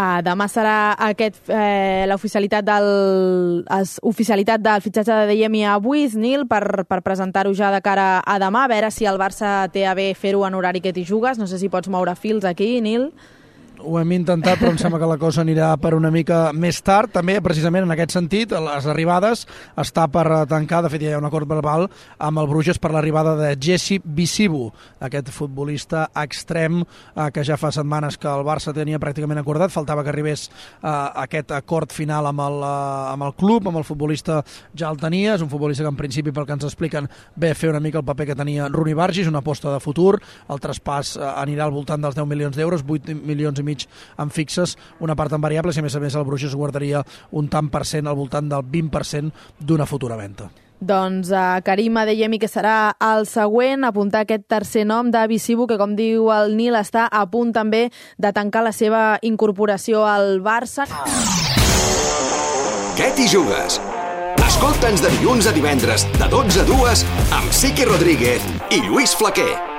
Demà serà l'oficialitat del fitxatge de Adeyemi a Buis, Nil, per presentar-ho ja de cara a demà, a veure si el Barça té a bé fer-ho en horari que t'hi jugues. No sé si pots moure fils aquí, Nil. Ho hem intentat, però em sembla que la cosa anirà per una mica més tard. També, precisament en aquest sentit, les arribades està per tancar, de fet ja hi ha un acord verbal amb el Bruges per l'arribada de Jesse Bisibu, aquest futbolista extrem que ja fa setmanes que el Barça tenia pràcticament acordat. Faltava que arribés aquest acord final amb el club, amb el futbolista ja el tenia. És un futbolista que en principi, pel que ens expliquen, ve a fer una mica el paper que tenia Rooney Bargis, una aposta de futur. El traspàs anirà al voltant dels 10 milions d'euros, 8 milions i mig en fixes, una part en variables, i a més el Bruges guardaria un tant per cent, al voltant del 20% d'una futura venda. Doncs Karim Adeyemi, que serà el següent, apuntar aquest tercer nom de Bisibu, que com diu el Nil està a punt també de tancar la seva incorporació al Barça. Què t'hi jugues? Escolta'ns de dilluns a divendres de 12 a 2 amb Siqui Rodríguez i Lluís Flaquer.